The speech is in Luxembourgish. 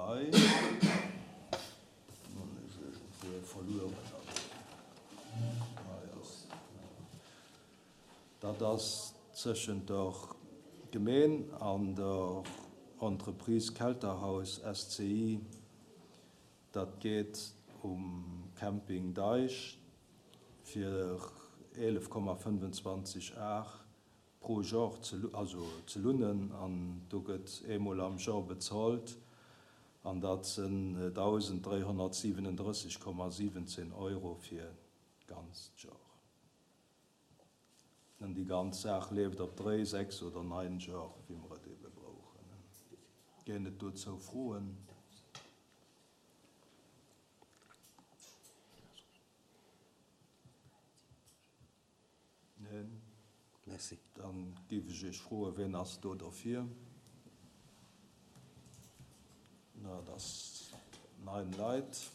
Bail. Hunn ech iergendwou verlueren. Hei ass Dat ass tëschent der Gemeen an der Entreprise Kelterhaus SCI. Dat geet um Camping Deich fir 11,25 Ar pro Jor ze, also ze lunnen an do gëtt eemol am Jor bezolt an dat sënn 1.337,17 Euro fir d'ganzt Jor. An déi ganz Saach leeft op dréi, sechs oder nein Jor, wéi mer et ebe brauchen. Ginn et dozou Froen? Neen? Merci. Dann géif ech Iech froen, Wien ass do derfir? Na, dat ass nein Leit.